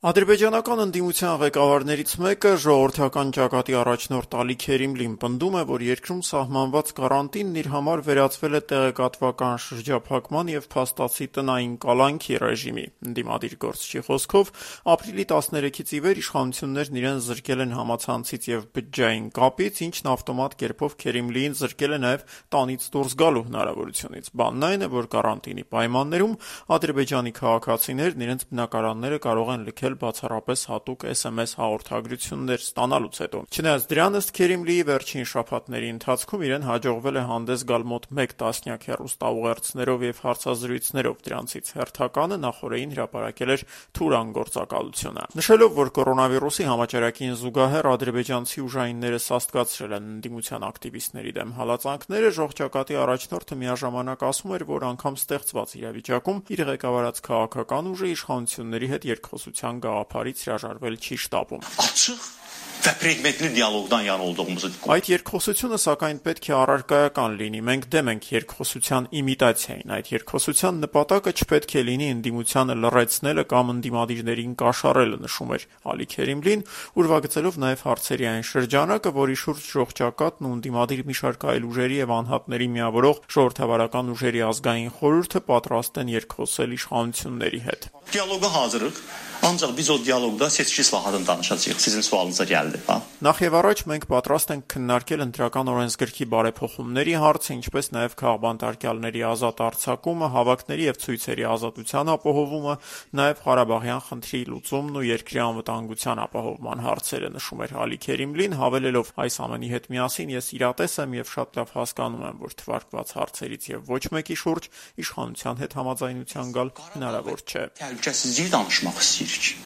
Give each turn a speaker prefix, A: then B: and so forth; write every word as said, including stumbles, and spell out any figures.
A: Ադրբեջանական ընդդիմության ղեկավարներից մեկը, ժողովրդական ճակատի առաջնորդ Ալի Քերիմլին, պնդում է, որ երկրում սահմանված կարանտինն իր համար վերածվել է տեղեկատվական շրջափակման և փաստացի տնային կալանքի ռեժիմի։ Ընդդիմադիր գործչի խոսքով, ապրիլի տասներեքից ի վեր իշխանություններն իրեն զրկել են համացանցից և բջջային կապից, ինչն ավտոմատ կերպով Քերիմլիին զրկել է նաև տանից դուրս գալու հնարավորությունից։ Բանն այն է, որ կարանտինի պայմաններում ադրբեջանի քաղաքացիներն իրենց բնակարանները կարող են լքել բացառապես հատուկ էս էմ էս հաղորդագրություններ ստանալուց հետո։ Չնայած դրան, ըստ Քերիմլիի, վերջին շաբաթների ընթացքում իրեն հաջողվել է հանդես գալ մոտ մեկ տասնյակ հեռուստաուղերձներով և հարցազրույցներով, դրանցից հերթականը նախօրեին հրապարակել էր Թուրան գործակալությունը։ Նշելով, որ կորոնավիրուսի համաճարակին զուգահեռ ադրբեջանցի ուժայինները սաստկացրել են ընդդիմության ակտիվիստների դեմ հալածանքները, ժողջակատի առաջնորդը միաժամանակ ասում էր, որ անգամ ստեղծված իրավիճակում իր ղեկավարած քաղաքական ուժը իշխանությունների հետ երկխոսության գաղափարից հրաժարվել չի շտապում։ Այդ երկխոսությունը, սակայն, պետք է առարկայական լինի։ Մենք դեմ ենք երկխոսության իմիտացիային։ Այդ երկխոսության նպատակը չպետք է լինի ընդդիմությանը լռեցնելը կամ ընդդիմադիրներին կաշառելը, նշում էր Ալի Քերիմլին, ուրվագծելով նաև հարցերի այն շրջանակը, որի շուրջ ժողջակատն ու ընդդիմադիր մի շարք այլ ուժերի և անհատների միավորող ժողովրդավարական ուժերի ազգային խորհուրդը պատրաստ են երկխոսել իշխանությունների հետ։
B: Դիալոգը hazırıq. Ancaq biz o dialoqda seçki islahatını danışacağıq. Sizin sualınıza gəldi, ha?
A: Նախ եւ առաջ մենք պատրաստ ենք քննարկել ընտրական օրենսգրքի բարեփոխումների հարցը, ինչպես նաև քաղբանտարկյալների ազատ արձակումը, հավաքների եւ ցույցերի ազատության ապահովումը, նաև Ղարաբաղյան խնդրի լուծումն ու երկրի անվտանգության ապահովման հարցերը, նշում էր Ալի Քերիմլին, հավելելով. այս ամենի հետ միասին ես իրատես եմ եւ շատ լավ հասկանում եմ, որ թվարկված հարցերից եւ ոչ մեկի շուրջ իշխանության հետ համաձայնության գալ հնարավոր չէ։
B: Təhlükəsizliyi danışmaq istəyirik.